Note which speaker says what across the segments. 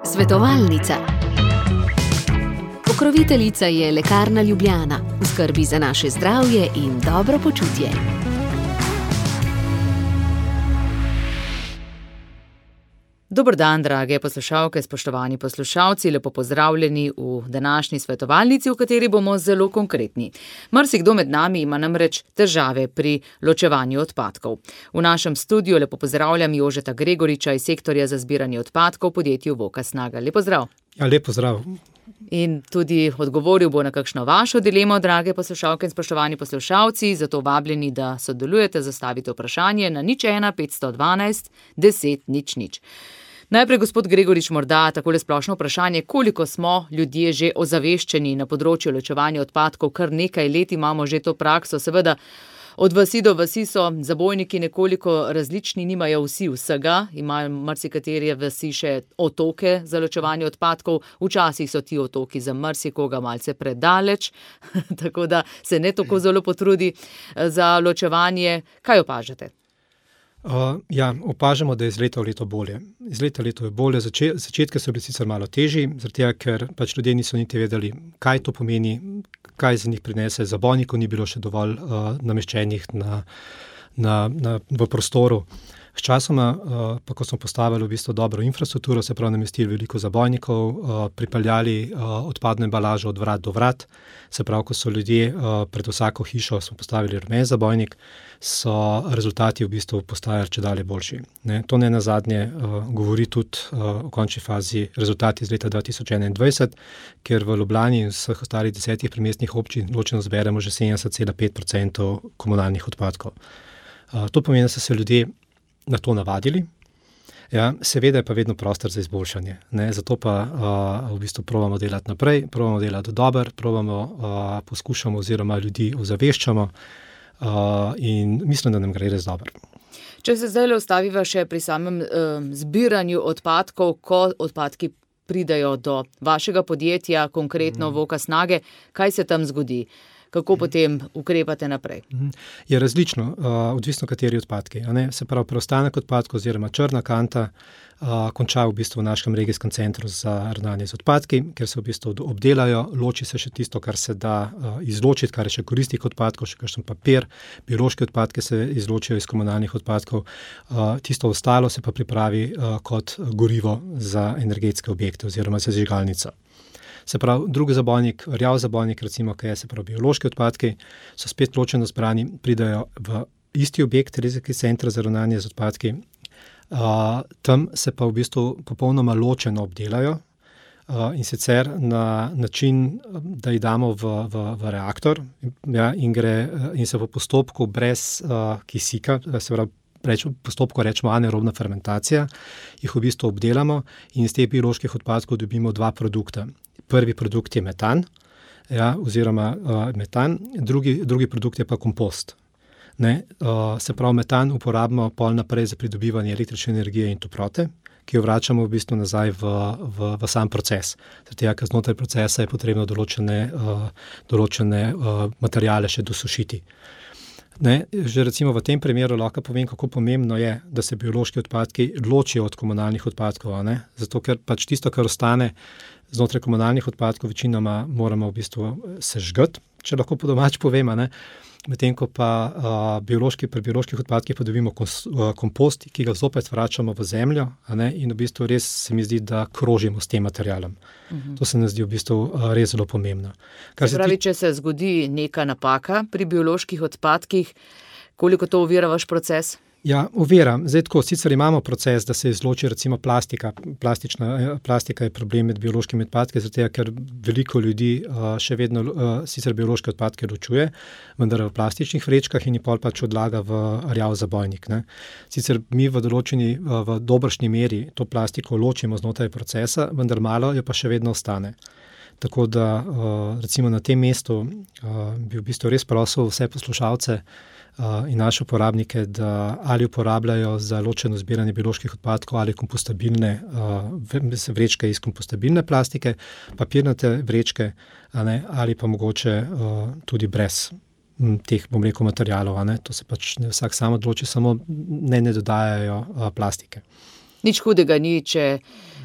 Speaker 1: Svetovalnica. Pokroviteljica je Lekarna Ljubljana, v skrbi za naše zdravje in dobro počutje.
Speaker 2: Dober dan, drage poslušalke, spoštovani poslušalci, lepo pozdravljeni v današnji svetovalnici, v kateri bomo zelo konkretni. Marsikdo med nami ima namreč težave pri ločevanju odpadkov. V našem studiu lepo pozdravljam Jožeta Gregoriča iz sektorja za zbiranje odpadkov v podjetju Voka Snaga. Lep pozdrav.
Speaker 3: Ja, lep pozdrav.
Speaker 2: In tudi odgovoril bo na kakšno vašo dilemo, drage poslušalke in spoštovani poslušalci, zato vabljeni, da sodelujete, zastavite vprašanje na 01 512 10 00. Najprej, gospod Gregorič, morda takole splošno vprašanje, koliko smo ljudje že ozaveščeni na področju ločevanja odpadkov, kar nekaj let imamo že to prakso, seveda od vasi do vasi so zabojniki nekoliko različni, nimajo vsi vsega, imajo marsikatere vasi še otoke za ločevanje odpadkov, včasih so ti otoki za marsikoga malce predaleč, tako da se ne tako zelo potrudi za ločevanje. Kaj opažate?
Speaker 3: Opažamo, da je iz leta v leto bolje. Iz leta v leto je bolje. Začetke so bili sicer malo težji, zaradi tega, ker ljudje niso niti vedeli, kaj to pomeni, kaj za njih prinese. Zabojnikov ni bilo še dovolj nameščenih v prostoru. Sčasoma, pa ko smo postavili v bistvu dobro infrastrukturo, se pravi namestili veliko zabojnikov, pripeljali odpadno embalažo od vrat do vrat, se pravi, ko so ljudje pred vsako hišo smo postavili rumen zabojnik, so rezultati v bistvu postajali čedalje boljši. To ne nazadnje govori tudi v končni fazi rezultati iz leta 2021, ker v Ljubljani in vseh ostalih 10 primestnih občin ločeno zberemo že 70,5% komunalnih odpadkov. To pomeni, da so se ljudje na to navadili. Ja, seveda je pa vedno prostor za izboljšanje. Zato pa v bistvu probamo delati naprej, probamo delati dobro, poskušamo oziroma ljudi ozaveščamo in mislim, da nam gre res dobro.
Speaker 2: Če se zdaj ostaviva še pri samem zbiranju odpadkov, ko odpadki pridejo do vašega podjetja, konkretno Voka Snage, kaj se tam zgodi? Kako potem ukrepate naprej?
Speaker 3: Je različno, odvisno kateri odpadki. Se pravi, preostanek odpadkov oziroma črna kanta konča v bistvu v našem regijskem centru za ravnanje z odpadki, ker se v bistvu obdelajo, loči se še tisto, kar se da izločiti, kar je še koristih odpadkov, še kakšen papir, biološki odpadki se izločijo iz komunalnih odpadkov, tisto ostalo se pa pripravi kot gorivo za energetske objekte oziroma za sežigalnico. Se pravi, drugi zabojnik, rjav zabojnik, recimo, kaj je, se pravi, biološki odpadki, so spet ločeno zbrani, pridajo v isti objekt, regijski center za ravnanje z odpadki. Tam se pa v bistvu popolnoma ločeno obdelajo in sicer na način, da jih damo v reaktor in se v postopku brez kisika, se pravi, postopku rečemo anaerobna fermentacija, jih v bistvu obdelamo in iz teh bioloških odpadkov dobimo dva produkta. Prvi produkt je metan, oziroma metan, drugi produkt je pa kompost. Se pravi, metan uporabimo pol naprej za pridobivanje električne energije in toplote, ki jo vračamo v bistvu nazaj v sam proces. Zato, ker znotraj procesa je potrebno določene materiale še dosušiti. Že recimo v tem primeru lahko povem, kako pomembno je, da se biološki odpadki ločijo od komunalnih odpadkov, zato ker pač tisto, kar ostane znotraj komunalnih odpadkov, večinoma moramo v bistvu sežgati, če lahko po domač povem, medtem ko pa pri bioloških odpadkih pa dobimo kompost, ki ga zopet vračamo v zemljo, in v bistvu res se mi zdi, da krožimo s tem materialom. To se mi zdi v bistvu res zelo pomembno.
Speaker 2: Se pravi, če se zgodi neka napaka pri bioloških odpadkih, koliko to ovira vaš proces?
Speaker 3: Ja, ovira. Zdaj tako, sicer imamo proces, da se izloči recimo plastika. Plastika je problem med biološkimi odpadki, zato ker veliko ljudi še vedno sicer biološke odpadke ločuje, vendar v plastičnih vrečkah in jih pol pač odlaga v rjav zabojnik. Sicer mi v dobršni meri to plastiko ločimo znotraj procesa, vendar malo jo pa še vedno ostane. Tako da recimo na tem mestu bi v bistvu res prosil vse poslušalce in naše uporabnike, da ali uporabljajo za ločeno zbiranje bioloških odpadkov ali kompostabilne vrečke iz kompostabilne plastike, papirnate vrečke, ali pa mogoče tudi brez teh, bom rekel, materialov. To se pač vsak sam odloči, samo ne dodajajo plastike.
Speaker 2: Nič hudega ni, če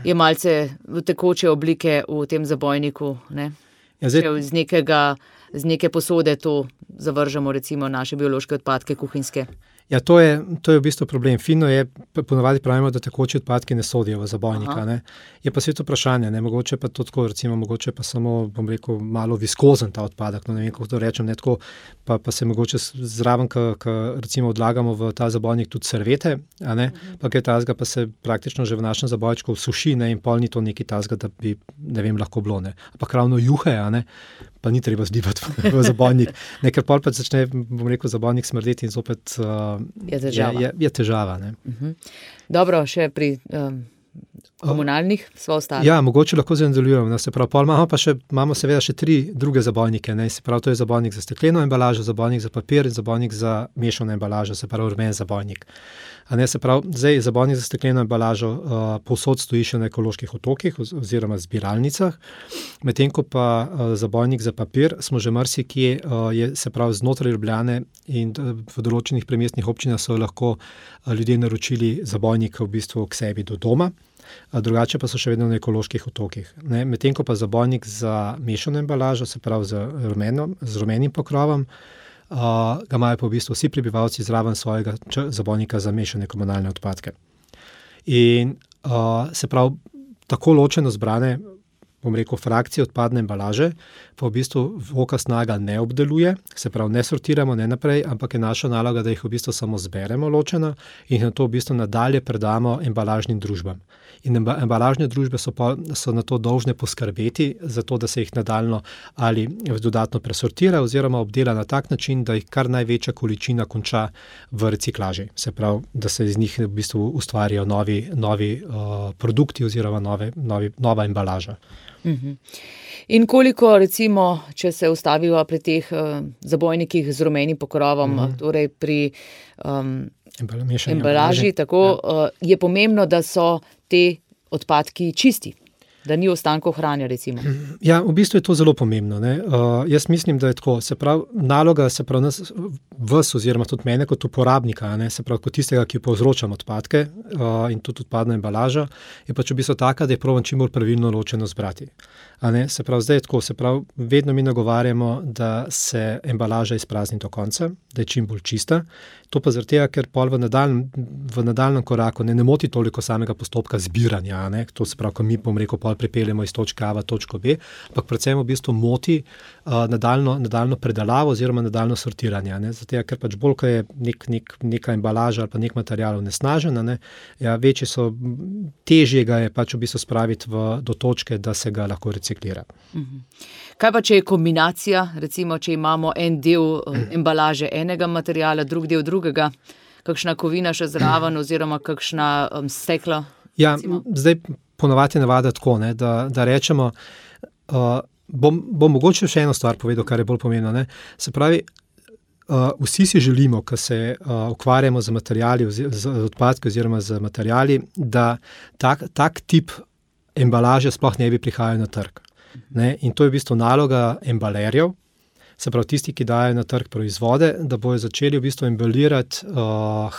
Speaker 2: je malce tekoče oblike v tem zabojniku, ne?
Speaker 3: Ja,
Speaker 2: Če z neke posode to zavržemo, recimo naše biološke odpadke kuhinjske.
Speaker 3: Ja, to je v bistvu problem. Fino je, ponavadi pravimo, da tekoči odpadki ne sodijo v zabojnika. Ne? Je pa svet vprašanje, ne? Mogoče pa to tako, recimo, mogoče pa samo, bom rekel, malo viskozen ta odpadek, no ne vem, kako to rečem, ne tako, pa se mogoče zraven, ko recimo odlagamo v ta zabojnik tudi servete, a ne, pa kaj tazga pa se praktično že v našem zabojčku suši, ne, in pol ni to nekaj tazga, da bi, ne vem, lahko bilo, ne. Ampak ravno juhe, a ne, pa ni treba zlivati v zabojnik. Ker pol pa začne, bom rekel, zabojnik smrdeti in zopet je težava. Ne.
Speaker 2: Dobro, še pri komunalnih sva ostali.
Speaker 3: Ja, mogoče lahko nadaljujemo. No, se pravi, pol imamo seveda še 3 druge zabojnike. Ne. Se pravi, to je zabojnik za stekleno embalažo, zabojnik za papir in zabojnik za mešano embalažo, se pravi rumen zabojnik. A ne, se pravi, zdaj zabojnik za stekleno embalažo povsod stoji še na ekoloških otokih oziroma zbiralnicah, medtem ko pa zabojnik za papir smo že marsikje, je, se pravi, znotraj Ljubljane in v določenih primestnih občinah so lahko ljudje naročili zabojnik v bistvu k sebi do doma, drugače pa so še vedno na ekoloških otokih. Medtem ko pa zabojnik za mešano embalažo, se pravi z rumenim pokrovom, ga imajo pa v bistvu vsi prebivalci zraven svojega zabojnika za mešane komunalne odpadke. In se pravi, tako ločeno zbrane, bom rekel, frakcije odpadne embalaže, pa v bistvu VOKA Snaga ne obdeluje, se pravi, ne sortiramo, ne naprej, ampak je naša naloga, da jih v bistvu samo zberemo ločeno in na to v bistvu nadalje predamo embalažnim družbam. In embalažne družbe so na to dolžne poskrbeti, zato da se jih nadaljno ali dodatno presortira oziroma obdela na tak način, da jih kar največja količina konča v reciklaži. Se pravi, da se iz njih v bistvu ustvarijo novi produkti oziroma nova embalaža.
Speaker 2: In koliko, recimo, če se ustaviva pri teh zabojnikih z rumenim pokrovom, torej pri embalaži, tako, je pomembno, da so te odpadki čisti, da ni ostankov hrane, recimo.
Speaker 3: Ja, v bistvu je to zelo pomembno. Ne? Jaz mislim, da je tako, se pravi, naloga, se pravi, vas oziroma tudi mene kot uporabnika, ne? Se pravi, kot tistega, ki povzročam odpadke in tudi odpadna embalaža, je pač v bistvu taka, da je probam čim bolj pravilno ločeno zbrati. A ne? Se pravi, zdaj je tako, se pravi, vedno mi nagovarjamo, da se embalaža izprazni do konca, da je čim bolj čista. To pa zaradi tega, ker pol v nadaljnjem koraku ne moti toliko samega postopka zbiranja, ne? To se pravi, ko mi, bom rekel, pol pripeljemo iz točke A v točko B, ampak predvsem v bistvu moti nadaljno predalavo oziroma nadaljno sortiranje. Ne? Zato, ker pač bolj, ko je neka embalaža ali pa nek material onesnažen, ne? Ja, težje ga je pač v bistvu spraviti do točke, da se ga lahko reciklira.
Speaker 2: Kaj pa, če je kombinacija, recimo, če imamo en del embalaže enega materiala, drug del drugega, kakšna kovina še zraven oziroma kakšna stekla?
Speaker 3: Ja, zdaj ponavadi navada tako, ne, da rečemo, bom mogoče še eno stvar povedal, kar je bolj pomembno. Ne. Se pravi, vsi si želimo, ko se ukvarjamo z materijali, z odpadki oziroma z materijali, da tak tip embalaže sploh ne bi prihajal na trg. Ne? In to je v bistvu naloga embalerjev, se pravi tisti, ki dajo na trg proizvode, da bojo začeli v bistvu embalirati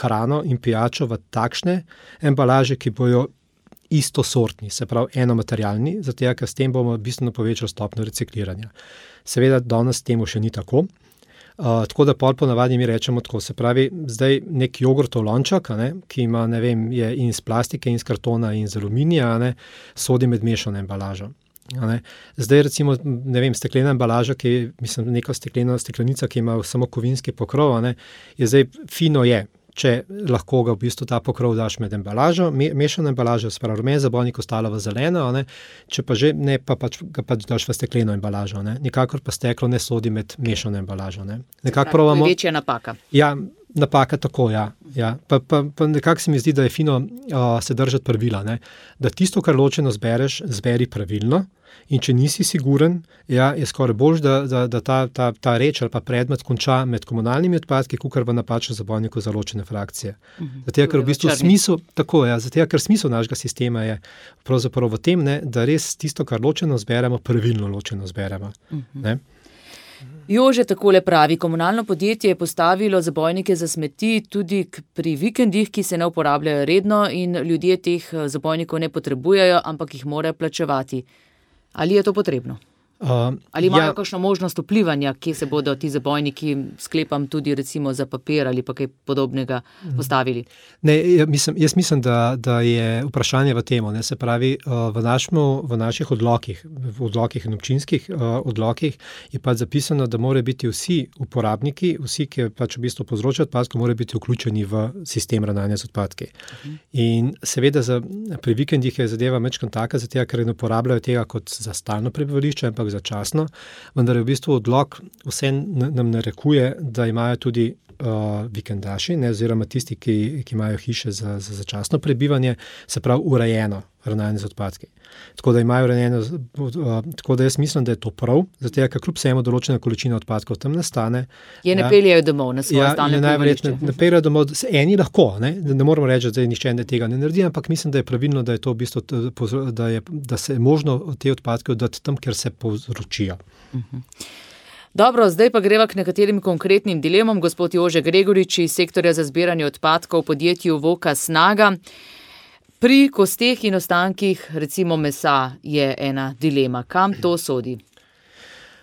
Speaker 3: hrano in pijačo v takšne embalaže, ki bojo istosortni, se pravi enomaterialni, zato ker s tem bomo bistveno povečali stopnjo recikliranja. Seveda danes temu še ni tako. Tako da pol ponavadi mi rečemo tako, se pravi, zdaj nek jogurtov lonček, ki ima, ne vem, je in iz plastike, in iz kartona, in iz aluminija, sodi med mešano embalažo. Zdaj recimo, ne vem, steklena embalaža, neka steklenica, ki ima samo kovinski pokrov, je zdaj fino je, če lahko ga v bistvu ta pokrov daš med embalažo, mešano embalažo, se pravi rumen zabojnik, ostalo v zeleno, če pa že ne, pa ga pač daš v stekleno embalažo. Nikakor pa steklo ne sodi med mešano embalažo.
Speaker 2: To je večja napaka.
Speaker 3: Ja, napaka tako, ja. Pa nekako se mi zdi, da je fino se držati pravila, da tisto, kar ločeno zbereš, zberi pravilno. In če nisi siguren, je skoraj bolj, da ta reč ali pa predmet konča med komunalnimi odpadki, kakor v napačnem zabojniku za ločene frakcije. Zato, ker v bistvu smisel našega sistema je pravzaprav v tem, da res tisto, kar ločeno zberemo, pravilno ločeno zberemo.
Speaker 2: Jože takole pravi, komunalno podjetje je postavilo zabojnike za smeti tudi pri vikendih, ki se ne uporabljajo redno in ljudje teh zabojnikov ne potrebujejo, ampak jih morajo plačevati. Ali je to potrebno? Ali imajo kakšno možnost vplivanja, kje se bodo ti zabojniki, sklepam tudi recimo za papir ali pa kaj podobnega postavili?
Speaker 3: Ne, jaz mislim, da je vprašanje v temo. Se pravi, v naših odlokih in občinskih odlokih je pač zapisano, da morajo biti vsi uporabniki, vsi, ki pač v bistvu povzročajo odpadke, morajo biti vključeni v sistem ravnanja z odpadki. In seveda pri vikendih je zadeva mečkam taka, zato ker ne uporabljajo tega kot za stalno prebivališče, ampak začasno, vendar je v bistvu odlok vse nam narekuje, da imajo tudi vikendaši, oziroma tisti, ki imajo hiše za začasno prebivanje, se pravi urejeno ravnanje z odpadki. Tako da imajo urejeno, tako da jaz mislim, da je to prav, zato ker kljub vsemu določena količina odpadkov tam nastane.
Speaker 2: Ne peljejo domov na svoje stalne prebivališče.
Speaker 3: Ne peljejo domov, eni lahko, ne moramo reči, da nihče tega ne naredi, ampak mislim, da je pravilno, da je to v bistvu, da se je možno te odpadke oddati tam, kjer se povzročijo.
Speaker 2: Dobro, zdaj pa greva k nekaterim konkretnim dilemam. Gospod Jože Gregorič iz sektorja za zbiranje odpadkov v podjetju Voka Snaga. Pri kosteh in ostankih, recimo mesa, je ena dilema. Kam to sodi?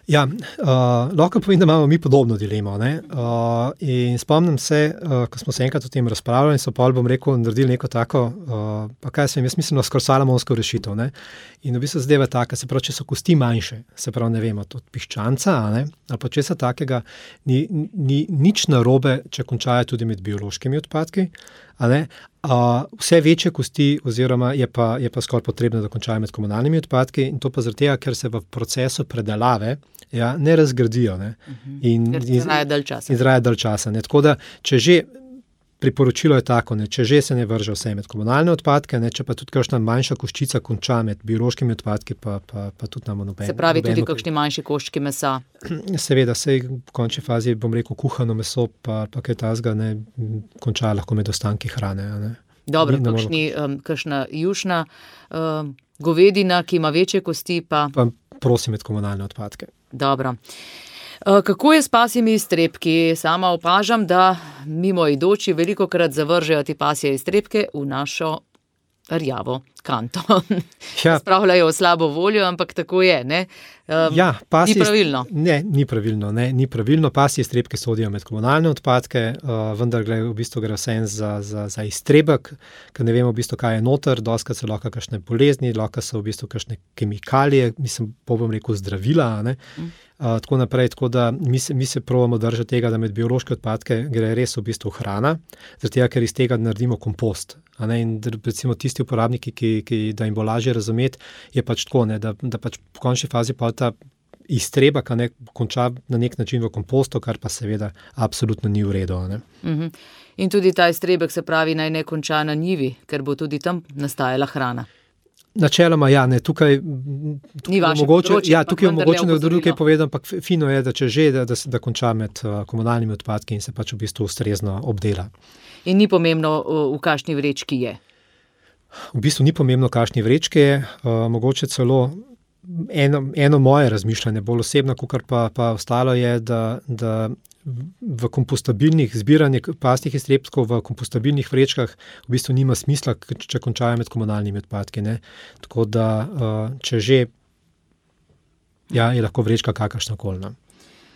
Speaker 3: Ja, lahko povem, da imamo mi podobno dilemo. In spomnim se, ko smo se enkrat o tem razpravljali in so pol, bom rekel, naredili neko tako, pa kaj sem, jaz mislim, na skoraj salomonsko rešitev. In v bistvu zadeva taka, se pravi, če so kosti manjše, se pravi, ne vemo, od piščanca, ali pa česa takega, ni nič narobe, če končajo tudi med biološkimi odpadki, vse večje kosti oziroma je pa skoraj potrebno, da končajo med komunalnimi odpadki in to pa zaradi tega, ker se v procesu predelave ne razgradijo.
Speaker 2: Ker
Speaker 3: traja dalj časa. Tako da, če že priporočilo je tako, če že se ne vrže vse med komunalne odpadke, če pa tudi kakšna manjša koščica konča med biološkimi odpadki, pa tudi nam noben.
Speaker 2: Se pravi, tudi kakšni manjši koščki mesa?
Speaker 3: Seveda, sej v končni fazi, bom rekel, kuhano meso, pa kaj tazga ne konča lahko med ostanki hrane.
Speaker 2: Dobro, kakšna jušna govedina, ki ima večje kosti, pa
Speaker 3: prosim med komunalne odpadke.
Speaker 2: Dobro. Kako je s pasjimi iztrebki? Sama opažam, da mimoidoči velikokrat zavržejo te pasje iztrebke v našo rjavo kanto. Spravljajo slabo voljo, ampak tako je, ne? Ni pravilno.
Speaker 3: Ne, ni pravilno. Pasje iztrebke sodijo med komunalne odpadke, vendar v bistvu gre vse za iztrebek, ker ne vemo v bistvu, kaj je noter, dostakrat so lahko kakšne bolezni, lahko so v bistvu kakšne kemikalije, bom rekel zdravila, tako naprej, tako da mi se probamo držati tega, da med biološke odpadke gre res v bistvu hrana, zaradi tega, ker iz tega naredimo kompost. In recimo tisti uporabniki, da jim bo lažje razumeti, je pač tako, da pač v končni fazi pa ta iztrebek konča na nek način v kompostu, kar pa seveda absolutno ni v redu.
Speaker 2: In tudi ta iztrebek, se pravi, naj ne konča na njivi, ker bo tudi tam nastajala hrana.
Speaker 3: Načeloma, tukaj
Speaker 2: ni vaše področje.
Speaker 3: Tukaj je mogoče nekaj povedati, ampak fino je, da če že, da konča med komunalnimi odpadki in se pač v bistvu ustrezno obdela.
Speaker 2: In ni pomembno, v kakšni vrečki je?
Speaker 3: V bistvu ni pomembno, v kakšni vrečki je, mogoče celo eno moje razmišljanje, bolj osebno, kakor pa ostalo je, da v kompostabilnih zbiranje pasjih iztrebkov v kompostabilnih vrečkah v bistvu nima smisla, če končajo med komunalnimi odpadki. Tako da, če že, je lahko vrečka kakršnakoli.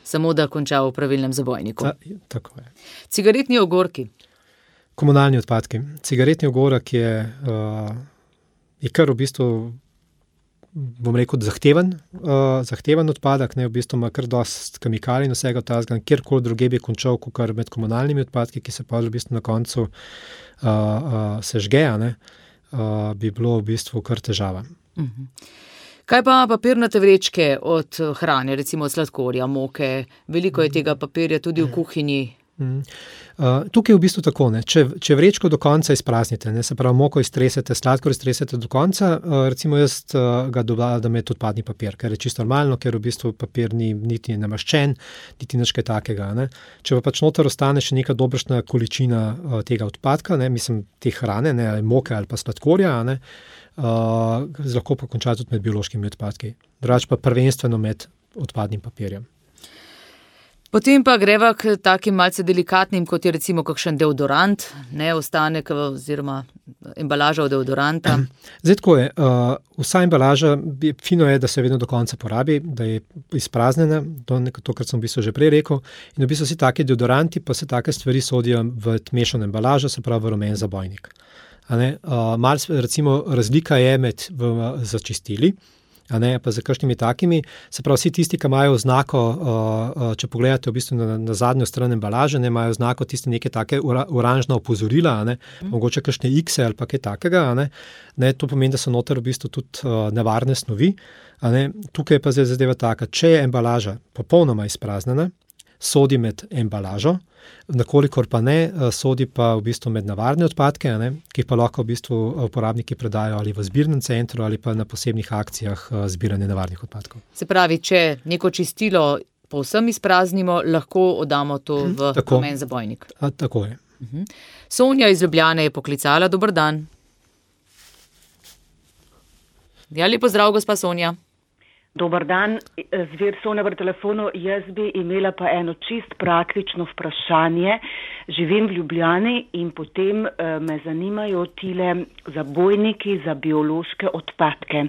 Speaker 2: Samo da konča v pravilnem zabojniku.
Speaker 3: Tako je.
Speaker 2: Cigaretni ogorki.
Speaker 3: Komunalni odpadki. Cigaretni ogorek je kar v bistvu, bom rekel, zahteven odpadek, v bistvu ima kar dosti kemikalij in vsega tazga, kjerkoli druge bi končal, kakor med komunalnimi odpadki, ki se pa v bistvu na koncu sežge, bi bilo v bistvu kar težava.
Speaker 2: Kaj pa papirnate vrečke od hrane, recimo od sladkorja, moke? Veliko je tega papirja tudi v kuhinji.
Speaker 3: Tukaj je v bistvu tako, če vrečko do konca izpraznite, se pravi moko iztresete, sladkor iztresete do konca, recimo jaz ga dodam med odpadni papir, ker je čisto normalno, ker v bistvu papir ni niti namaščen, niti nič kaj takega. Če pa pač noter ostane še neka dobršna količina tega odpadka, mislim te hrane, ali moke ali pa sladkorja, lahko pa konča tudi med biološkimi odpadki. Drugače pa prvenstveno med odpadnim papirjem.
Speaker 2: Potem pa greva k takim malce delikatnim, kot je recimo kakšen deodorant, ne ostanek oziroma embalaža od deodoranta.
Speaker 3: Zdaj tako je, vsa embalaža, fino je, da se vedno do konca porabi, da je izpraznjena, to, kar sem v bistvu že prej rekel, in v bistvu vsi taki deodoranti pa se take stvari sodijo v mešano embalažo, se pravi v rumen zabojnik. Recimo razlika je med začistili, pa za kakšnimi takimi, se pravi vsi tisti, ki imajo znako, če pogledate v bistvu na zadnjo stran embalaže, imajo znako tiste neke take oranžna opozorila, mogoče kakšne X-e ali pa kaj takega, to pomeni, da so noter v bistvu tudi nevarne snovi. Tukaj je pa zdaj zadeva taka, če je embalaža popolnoma izpraznjena, sodi med embalažo, nakolikor pa ne, sodi pa v bistvu med nevarne odpadke, ki pa lahko v bistvu uporabniki predajo ali v zbirnem centru ali pa na posebnih akcijah zbiranja nevarnih odpadkov.
Speaker 2: Se pravi, če neko čistilo povsem izpraznimo, lahko oddamo to v rumen zabojnik.
Speaker 3: Tako je.
Speaker 2: Sonja iz Ljubljane je poklicala. Dober dan. Ja, lep pozdrav, gospa Sonja.
Speaker 4: Dobar dan, Zver Sonja pri telefonu. Jaz bi imela pa eno čist praktično vprašanje. Živim v Ljubljani in potem me zanimajo tile zabojniki za biološke odpadke.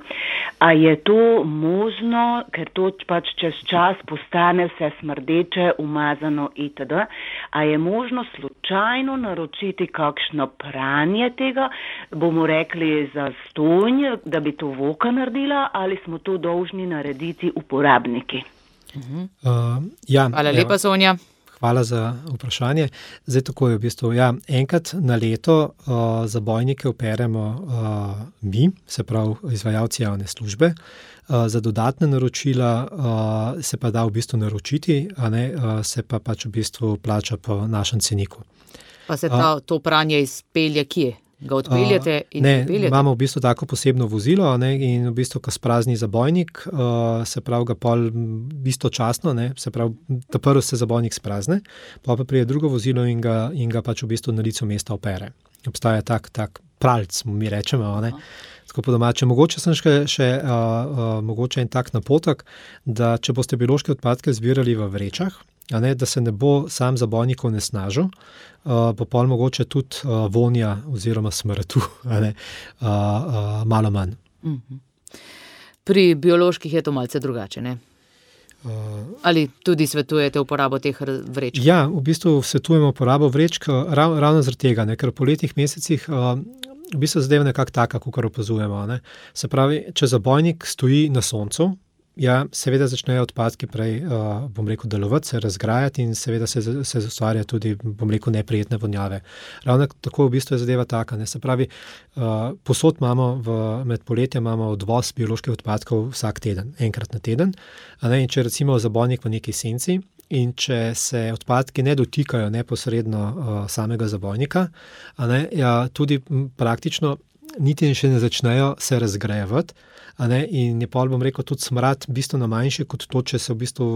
Speaker 4: A je to možno, ker to pač čez čas postane vse smrdeče, umazano itd. A je možno slučajno naročiti kakšno pranje tega, bomo rekli za stonj, da bi to Voka naredila, ali smo to dolžni narediti uporabniki?
Speaker 2: Hvala lepa, Sonja.
Speaker 3: Hvala za vprašanje. Zdaj tako je v bistvu, enkrat na leto zabojnike operemo mi, se pravi izvajalci javne službe. Za dodatne naročila se pa da v bistvu naročiti, se pa pač v bistvu plača po našem ceniku.
Speaker 2: Pa se to pranje izpelje kje? Ga odpeljete in odpeljete?
Speaker 3: Ne, imamo v bistvu tako posebno vozilo, in v bistvu, ko sprazni zabojnik, se pravi ga pol istočasno, se pravi, ta prvo se zabojnik sprazne, pa pride drugo vozilo in ga pač v bistvu na licu mesta opere. Obstaja tak pralc, mi rečemo, tako po domače. Mogoče sem še mogoče en tak napotek, da če boste biološke odpadke zbirali v vrečah, da se ne bo sam zabojnik onesnažil, bo pol mogoče tudi vonja oziroma smrtu malo manj.
Speaker 2: Pri bioloških je to malce drugače, ne? Ali tudi svetujete uporabo teh vrečk?
Speaker 3: Ja, v bistvu svetujemo uporabo vrečk ravno zaradi tega, ker po letnih mesecih v bistvu zadeva nekako taka, kakor opazujemo. Se pravi, če zabojnik stoji na soncu, seveda začnejo odpadki prej, delovati, se razgrajati in seveda se ustvarja tudi, neprijetne vonjave. Ravno tako v bistvu je zadeva taka, se pravi, posod imamo med poletjem imamo odvoz bioloških odpadkov vsak teden, enkrat na teden, in če recimo zabojnik v neki senci in če se odpadki ne dotikajo neposredno samega zabojnika, tudi praktično niti še ne začnejo se razgrajevati, in je pol, tudi smrad bistveno manjši kot to, če se v bistvu,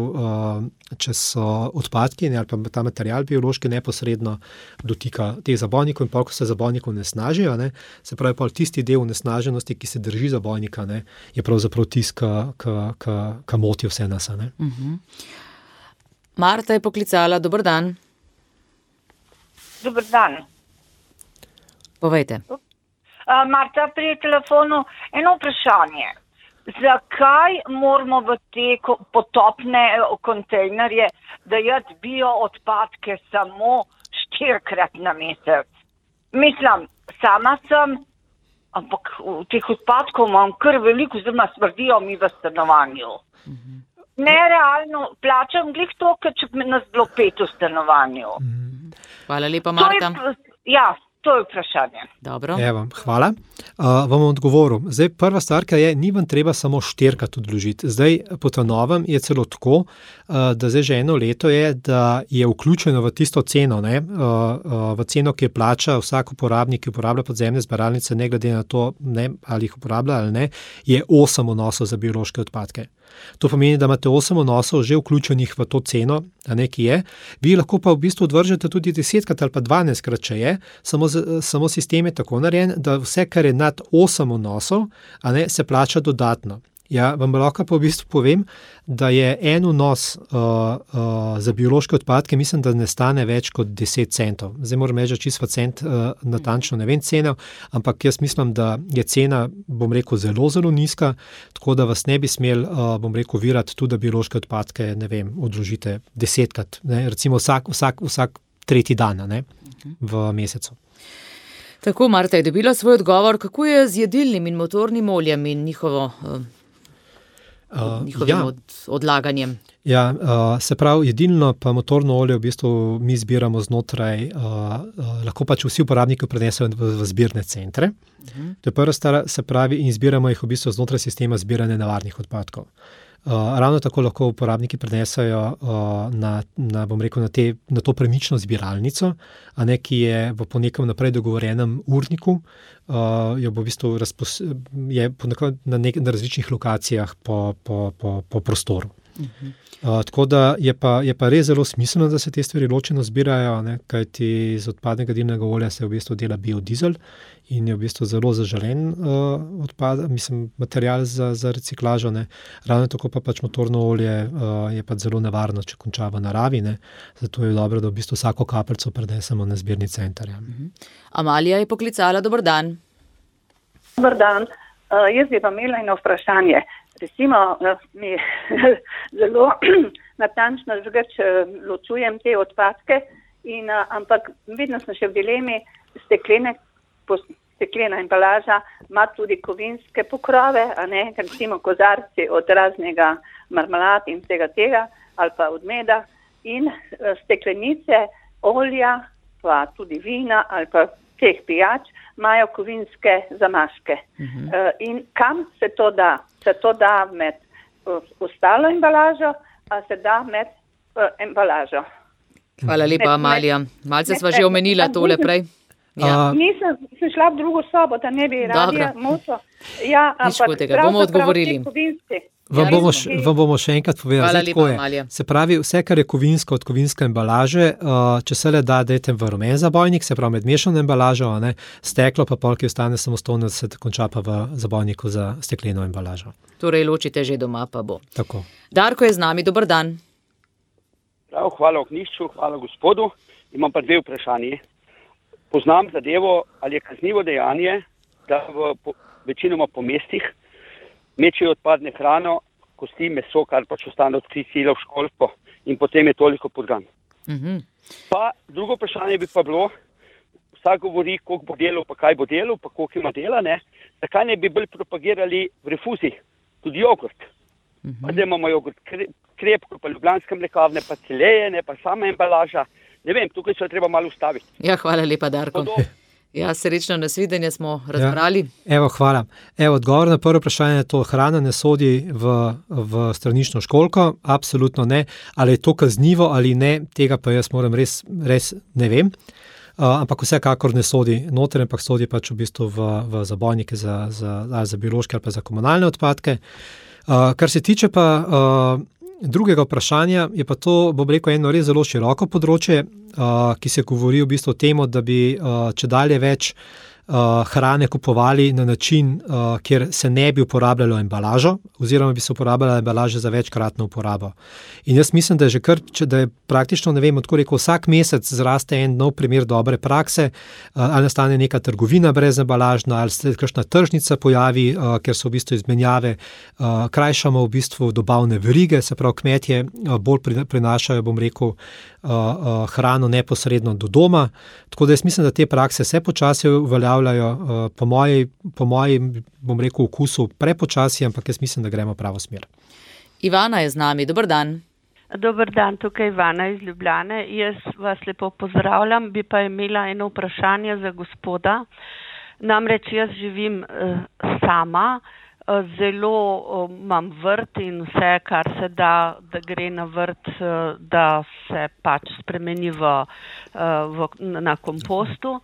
Speaker 3: če so odpadki ali pa ta material biološki neposredno dotika teh zabojnikov in pol, ko se zabojnikov onesnažijo, se pravi pol tisti del onesnaženosti, ki se drži zabojnika, je pravzaprav tisti, ki moti vse nas.
Speaker 2: Marta je poklicala. Dober dan.
Speaker 5: Dober dan.
Speaker 2: Povejte.
Speaker 5: Marta, pri telefonu eno vprašanje. Zakaj moramo v te potopne kontejnerje dajati bio odpadke samo 4-krat na mesec? Mislim, sama sem, ampak teh odpadkov imam kar veliko, oziroma smrdijo mi v stanovanju. Nerealno plačam glih to, če nas bilo 5 v stanovanju.
Speaker 2: Hvala lepa, Marta.
Speaker 5: To je vprašanje.
Speaker 2: Dobro.
Speaker 3: Evo, hvala. Vam odgovoril. Zdaj, prva stvar, ki je, ni vam treba samo 4-krat odložiti. Zdaj, po ta novem je celo tako, da zdaj že 1 leto je, da je vključeno v tisto ceno, v ceno, ki je plača vsak uporabnik, ki uporablja podzemne zbiralnice, ne glede na to, ali jih uporablja ali ne, je 8 vnosov za biološke odpadke. To pomeni, da imate 8 vnosov že vključenih v to ceno, ki je. Vi lahko pa v bistvu odvržete tudi 10-krat ali pa 12-krat, če je, samo sistem je tako narejen, da vse, kar je nad 8 vnosov, se plača dodatno. Ja, vam lahko pa v bistvu povem, da je en vnos za biološke odpadke, mislim, da ne stane več kot 10 centov. Zdaj moram reči, čisto cent natančno ne vem ceno, ampak jaz mislim, da je cena, bom rekel, zelo, zelo nizka, tako da vas ne bi smel, bom rekel, virati tudi, da biološke odpadke, ne vem, odložite 10krat, ne, recimo vsak tretji dan, ne, v mesecu.
Speaker 2: Tako, Marta je dobila svoj odgovor, kako je z jedilnim in motornim oljem in njihovim odlaganjem.
Speaker 3: Ja, se pravi, jedilno pa motorno olje v bistvu mi zbiramo znotraj, lahko pač vsi uporabniki prenesejo v zbirne centre. To je prva stvar, se pravi, in zbiramo jih v bistvu znotraj sistema zbiranja nevarnih odpadkov. Ravno tako lahko uporabniki prenesejo bom rekel, na to premično zbiralnico, ki je po nekem naprej dogovorenem urniku, jo bo v bistvu je na različnih lokacijah po prostoru. Tako da je pa res zelo smiselno, da se te stvari ločeno zbirajo, kajti iz odpadnega jedilnega olja se v bistvu dela biodizel in je v bistvu zelo zaželen material za reciklažo. Ravno tako pa pač motorno olje je pač zelo nevarno, če konča v naravi. Zato je dobro, da v bistvu vsako kapljico prenesemo na zbirni center.
Speaker 2: Amalija je poklicala, dober dan.
Speaker 6: Dober dan. Jaz bi pa imela eno vprašanje. Recimo, mi zelo natančno ločujem te odpadke, ampak vedno sem še v dilemi, steklena embalaža ima tudi kovinske pokrove, recimo kozarci od raznega marmelad in vsega tega, ali pa od meda, in steklenice olja, pa tudi vina ali pa teh pijač, imajo kovinske zamaške. In kam se to da? Se to da med ostalo embalažo, a se da med embalažo.
Speaker 2: Hvala lepa, Amalija. Malce sva že omenila tole prej. Ja.
Speaker 6: Nisem šla v drugo sobo, da ne bi radila moto. Ja,
Speaker 2: nič hudega, bomo odgovorili.
Speaker 3: Vam bomo še enkrat povedali.
Speaker 2: Hvala lepa, Amalija.
Speaker 3: Se pravi, vse, kar je kovinsko od kovinske embalaže, če se le da, dajte v rumen zabojnik, se pravi med mešano embalažo, steklo pa pol, ki ostane samostojno, se konča pa v zabojniku za stekleno embalažo.
Speaker 2: Torej ločite že doma, pa bo.
Speaker 3: Tako.
Speaker 2: Darko je z nami, dober dan.
Speaker 7: Prav, hvala Ognjišču, hvala gospodu. Imam pa dve vprašanje. Poznam zadevo, ali je kaznivo dejanje, da večinoma po mestih mečejo odpadne hrano, kosti, meso, kar pač ostane od sila v školsko in potem je toliko podgan. Pa drugo vprašanje bi pa bilo, vsak govori, koliko bo delal, pa kaj bo delal, pa koliko ima dela, zakaj ne bi bolj propagirali v refuzi, tudi jogurt. Pa da imamo jogurt krepko, pa ljubljanske mlekavne, pa celejene, pa sama embalaža. Ne vem, tukaj se treba malo ustaviti.
Speaker 2: Ja, hvala lepa, Darko. Ja, srečno nasvidenje smo razbrali.
Speaker 3: Ja, hvala. Odgovor na prvo vprašanje je to, hrana ne sodi v stranično školjko, absolutno ne. Ali je to kaznivo ali ne, tega pa jaz moram res ne vem. Ampak vsekakor ne sodi noter, ampak sodi pač v bistvu v zabojnike za biološke ali pa za komunalne odpadke. Kar se tiče pa drugega vprašanja, je pa to, bom rekel, eno res zelo široko področje, ki se govori v bistvu o tem, da bi čedalje več hrane kupovali na način, kjer se ne bi uporabljalo embalažo, oziroma bi se uporabljala embalaža za večkratno uporabo. In jaz mislim, da je da je praktično, ne vem, odkud rekel, vsak mesec zraste en nov primer dobre prakse, ali nastane neka trgovina brez embalažna, ali se kakšna tržnica pojavi, ker so v bistvu izmenjave, krajšamo v bistvu dobavne verige, se pravi kmetje bolj prinašajo, bom rekel, hrano neposredno do doma. Tako da jaz mislim, da te prakse se počasi uveljavljajo, po moji, bom rekel, okusu prepočasi, ampak jaz mislim, da gremo pravo smer.
Speaker 2: Ivana je z nami, dober dan.
Speaker 8: Dober dan, tukaj Ivana iz Ljubljane. Jaz vas lepo pozdravljam, bi pa imela eno vprašanje za gospoda. Namreč jaz živim sama, zelo imam vrt in vse, kar se da gre na vrt, da se pač spremeni na kompostu.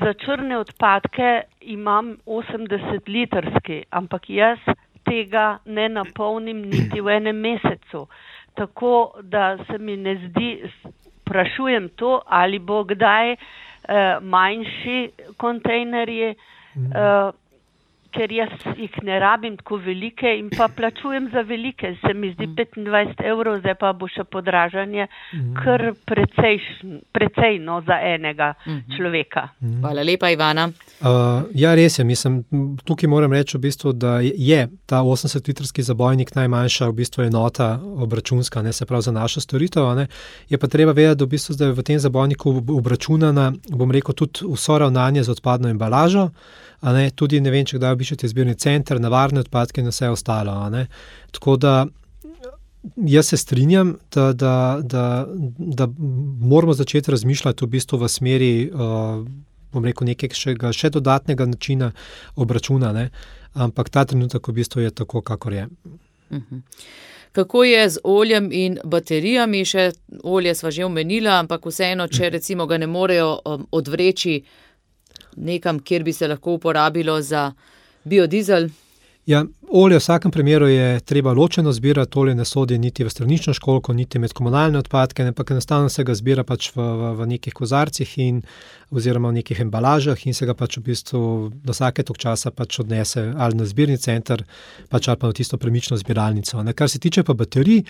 Speaker 8: Za črne odpadke imam 80-litrski, ampak jaz tega ne napolnim niti v enem mesecu. Tako da se mi ne zdi, sprašujem to, ali bo kdaj manjši kontejnerji, ker jaz jih ne rabim tako velike in pa plačujem za velike. Se mi zdi 25 €, zdaj pa bo še podražanje kar precej za enega človeka.
Speaker 2: Hvala lepa, Ivana.
Speaker 3: Ja, res je. Mislim, tukaj moram reči v bistvu, da je ta 80-litrski zabojnik najmanjša v bistvu enota obračunska, ne, se pravi za našo storitev. Ne. Je pa treba vedeti, da v bistvu zdaj v tem zabojniku obračunana, bom rekel, tudi vso ravnanje z odpadno embalažo, a ne, tudi ne vem, če kdaj obiščete zbirni center, nevarne odpadke in vse ostalo. A ne. Tako da jaz se strinjam, da moramo začeti razmišljati v bistvu v smeri, bom rekel, nekega še dodatnega načina obračuna, ne. Ampak ta trenutek v bistvu je tako, kakor je.
Speaker 2: Kako je z oljem in baterijami? Še olje sva že omenila, ampak vseeno, če recimo ga ne morejo odvreči nekam, kjer bi se lahko uporabilo za biodizel?
Speaker 3: Ja, olje v vsakem primeru je treba ločeno zbirati, olje ne sodi niti v stranično školjko, niti med komunalne odpadke, ampak enostavno se ga zbira pač v nekih kozarcih oziroma v nekih embalažah in se ga pač v bistvu do vsake tok časa pač odnese ali na zbirni center, pač ali pa na tisto premično zbiralnico. Kar se tiče pa baterij,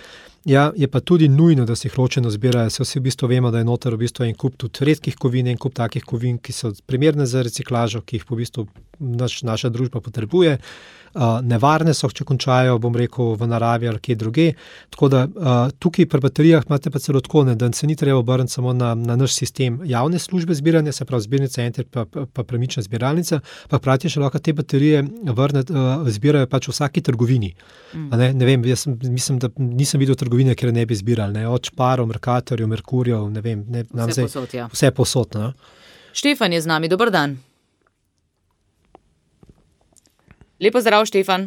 Speaker 3: ja, je pa tudi nujno, da se jih ločeno zbirajo. Se vsi v bistvu vemo, da je noter v bistvu en kup tudi redkih kovin, en kup takih kovin, ki so primerne za reciklažo, ki jih v bistvu naša družba potrebuje. Nevarne so, če končajo, bom rekel, v naravi ali kje druge. Tako da tukaj pri baterijah imate pa celo tako, da se ni treba obrniti samo na naš sistem javne službe zbiranja, se pravi zbirni center pa premična zbiralnica, pa hkrati še lahko te baterije zbirajo pač v vsaki trgovini. Ne vem, jaz mislim, da nisem videl trgovine, kjer ne bi zbirali, ne, od Šparov, Mercatorjev, Merkurjev, ne vem, vse posod. Ne.
Speaker 2: Štefan je z nami, dober dan. Lepo zdrav, Štefan.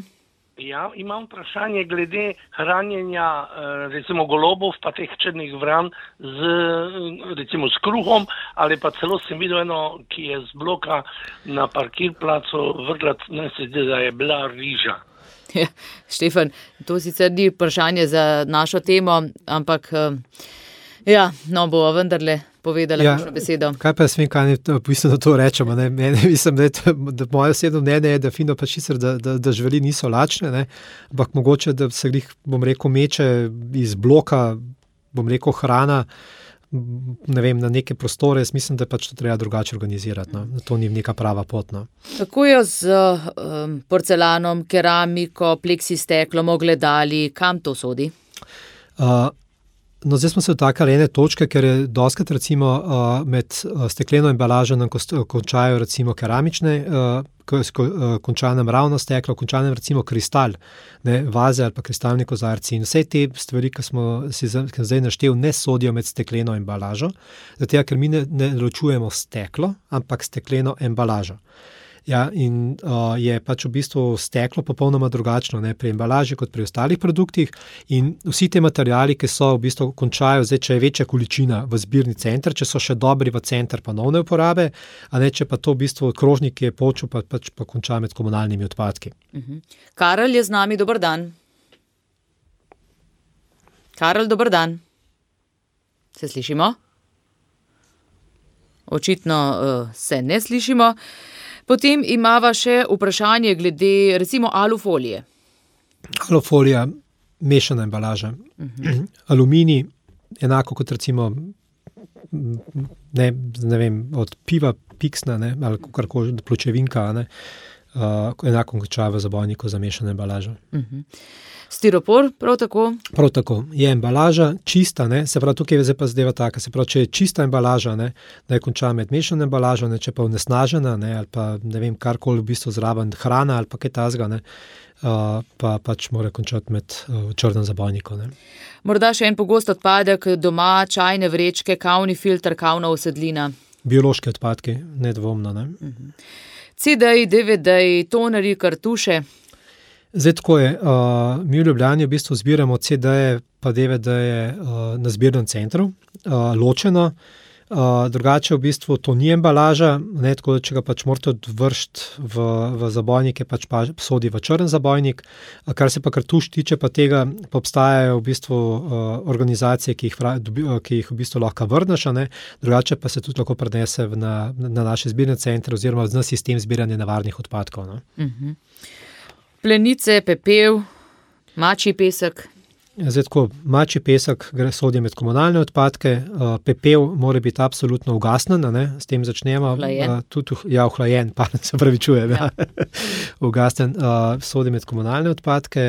Speaker 9: Ja, imam vprašanje glede hranjenja recimo golobov pa teh črnih vran recimo s kruhom, ali pa celo sem videl eno, ki je z bloka na parkirplacu vrgla, ne se zdi, da je bila riža.
Speaker 2: Ja, Štefan, to sicer ni vprašanje za našo temo, ampak ja, no, bo vendarle povedala kakšno besedo.
Speaker 3: Kaj pa jaz vem, kaj mislim, da to rečemo. Mislim, da moje osebno mnenje je, da fino pa sicer, da živali niso lačne, ne, ampak mogoče, da se jih, bom rekel, meče iz bloka, bom rekel, hrana, ne vem, na neke prostore. Jaz mislim, da pač to treba drugače organizirati. No. To ni neka prava pot. No.
Speaker 2: Kako je z porcelanom, keramiko, pleksisteklom, ogledali, kam to sodi?
Speaker 3: No, zdaj smo se dotaknili ene točke, ker je dostikrat recimo med stekleno embalažo nam končajo recimo keramične, konča nam ravno steklo, konča nam recimo kristal, ne, vaze ali pa kristalni kozarci in vse te stvari, ki smo si zdaj naštel, ne sodijo med stekleno embalažo, zato ker mi ne ločujemo steklo, ampak stekleno embalažo. Ja, in je pač v bistvu steklo popolnoma drugačno, ne, pri embalaži kot pri ostalih produktih in vsi te materiali, ki so v bistvu končajo, zdaj, če je večja količina v zbirni center, če so še dobri v center ponovne uporabe, a ne, če pa to v bistvu krožnik, ki je počel, pa konča med komunalnimi odpadki.
Speaker 2: Karel je z nami, dober dan. Karel, dober dan. Se slišimo? Očitno se ne slišimo. Potem imava še vprašanje glede recimo alufolije.
Speaker 3: Alufolija, mešana embalaža. Aluminij, enako kot recimo, ne vem, od piva, piksna, ne, ali kakorkoli, pločevinka, ne, enako konča v zabojniku za mešano embalažo.
Speaker 2: Stiropor, prav tako?
Speaker 3: Prav tako. Je embalaža čista, ne, se pravi, tukaj je pa zadeva taka, se pravi, če je čista embalaža, ne, da je konča med mešano embalažo, ne, če pa onesnažena, ne, ali pa ne vem, karkoli v bistvu zraven hrana ali pa kaj tazga, ne, pa pač mora končati med črnem zabojniku, ne.
Speaker 2: Morda še en pogost odpadek doma, čajne vrečke, kavni filter, kavna usedlina.
Speaker 3: Biološki odpadki, nedvomno, ne.
Speaker 2: CD-ji, DVD-ji, tonerji, kartuše.
Speaker 3: Zdaj tako je, mi v Ljubljani v bistvu zbiramo CD-je pa DVD-je na zbirnem centru, ločeno. Drugače v bistvu to ni embalaža, ne, tako da če ga pač morate odvršiti v zabojnik, je pač sodi v črn zabojnik. Kar se pa kartuš tiče pa tega, pa obstajajo v bistvu organizacije, ki jih v bistvu lahko vrneš, ne, drugače pa se tudi lahko prenese na naše zbirne centre oziroma na sistem zbiranja nevarnih odpadkov. No.
Speaker 2: Plenice, pepel, mačji pesek.
Speaker 3: Zdaj tako, mačji pesek sodi med komunalne odpadke, pepel mora biti absolutno ugasnen, ne, s tem začnemo. Ohlajen, se pravičujem. Ja. Ugasnen, sodi med komunalne odpadke,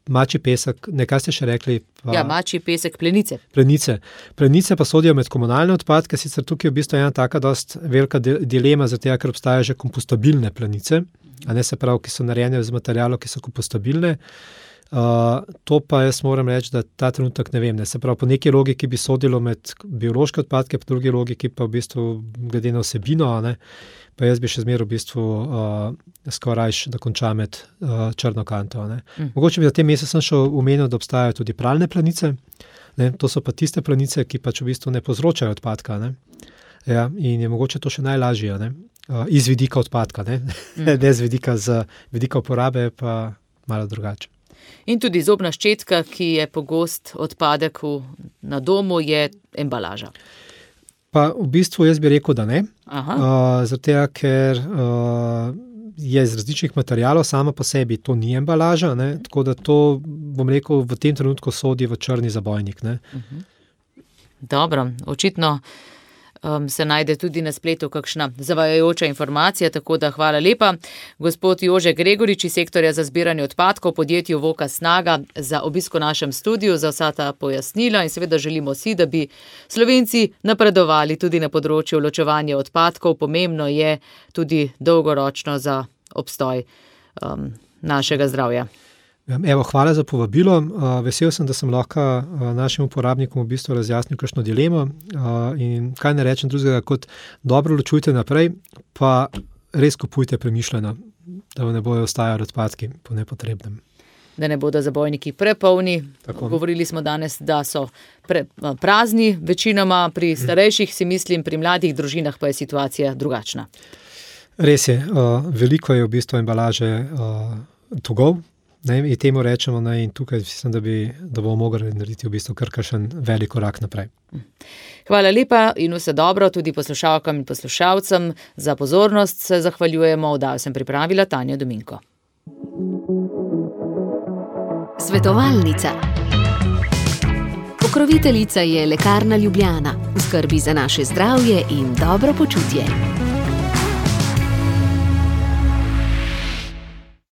Speaker 3: mačji pesek, nekaj ste še rekli?
Speaker 2: Mačji pesek, plenice.
Speaker 3: Plenice pa sodijo med komunalne odpadke, sicer tukaj je v bistvu ena taka dost velika dilema, zato ker obstajajo že kompostabilne plenice, a ne se pravi, ki so narejene z materialov, ki so kompostabilne. To pa jaz moram reči, da ta trenutek ne vem, ne. Se pravi, po neki logiki bi sodilo med biološke odpadke, po drugi logiki pa v bistvu glede na vsebino, ne, pa jaz bi še zmeraj v bistvu skoraj da konča med črno kanto. Ne. Mogoče bi za tem mesecu sem še omenil, da obstajajo tudi pralne plenice, ne, to so pa tiste plenice, ki pač v bistvu ne povzročajo odpadka, ne. Ja, in je mogoče to še najlažje, ne, iz vidika odpadka, ne, ne z vidika uporabe pa malo drugače.
Speaker 2: In tudi zobna ščetka, ki je pogost odpadek na domu, je embalaža.
Speaker 3: Pa v bistvu jaz bi rekel, da ne. Zato, ker je iz različnih materialov, sama po sebi to ni embalaža, ne, tako da to, bom rekel, v tem trenutku sodi v črni zabojnik. Ne.
Speaker 2: Dobro, očitno se najde tudi na spletu kakšna zavajajoča informacija, tako da hvala lepa. Gospod Jože Gregorič iz sektorja za zbiranje odpadkov podjetju Voka Snaga za obisk v našem studiu, za vsa ta pojasnila in seveda želimo si, da bi Slovenci napredovali tudi na področju ločevanja odpadkov. Pomembno je tudi dolgoročno za obstoj našega zdravja.
Speaker 3: Evo, hvala za povabilo. Vesel sem, da sem lahko našim uporabnikom v bistvu razjasnil kakšno dilemo in kaj ne rečem drugega, kot dobro ločujte naprej, pa res kupujte premišljeno, da ne bojo ostajali odpadki po nepotrebnem.
Speaker 2: Da ne bodo zabojniki prepolni. Tako. Govorili smo danes, da so prazni, večinoma pri starejših, si mislim, pri mladih družinah pa je situacija drugačna.
Speaker 3: Res je, veliko je v bistvu embalaže togov, ne, in temu rečemo, ne, in tukaj mislim, da bomo mogli narediti v bistvu kar kakšen velik korak naprej.
Speaker 2: Hvala lepa in vse dobro tudi poslušalkam in poslušalcem. Za pozornost se zahvaljujemo, oddajo sem pripravila Tanja Dominko.
Speaker 1: Svetovalnica. Pokroviteljica je Lekarna Ljubljana, v skrbi za naše zdravje in dobro počutje.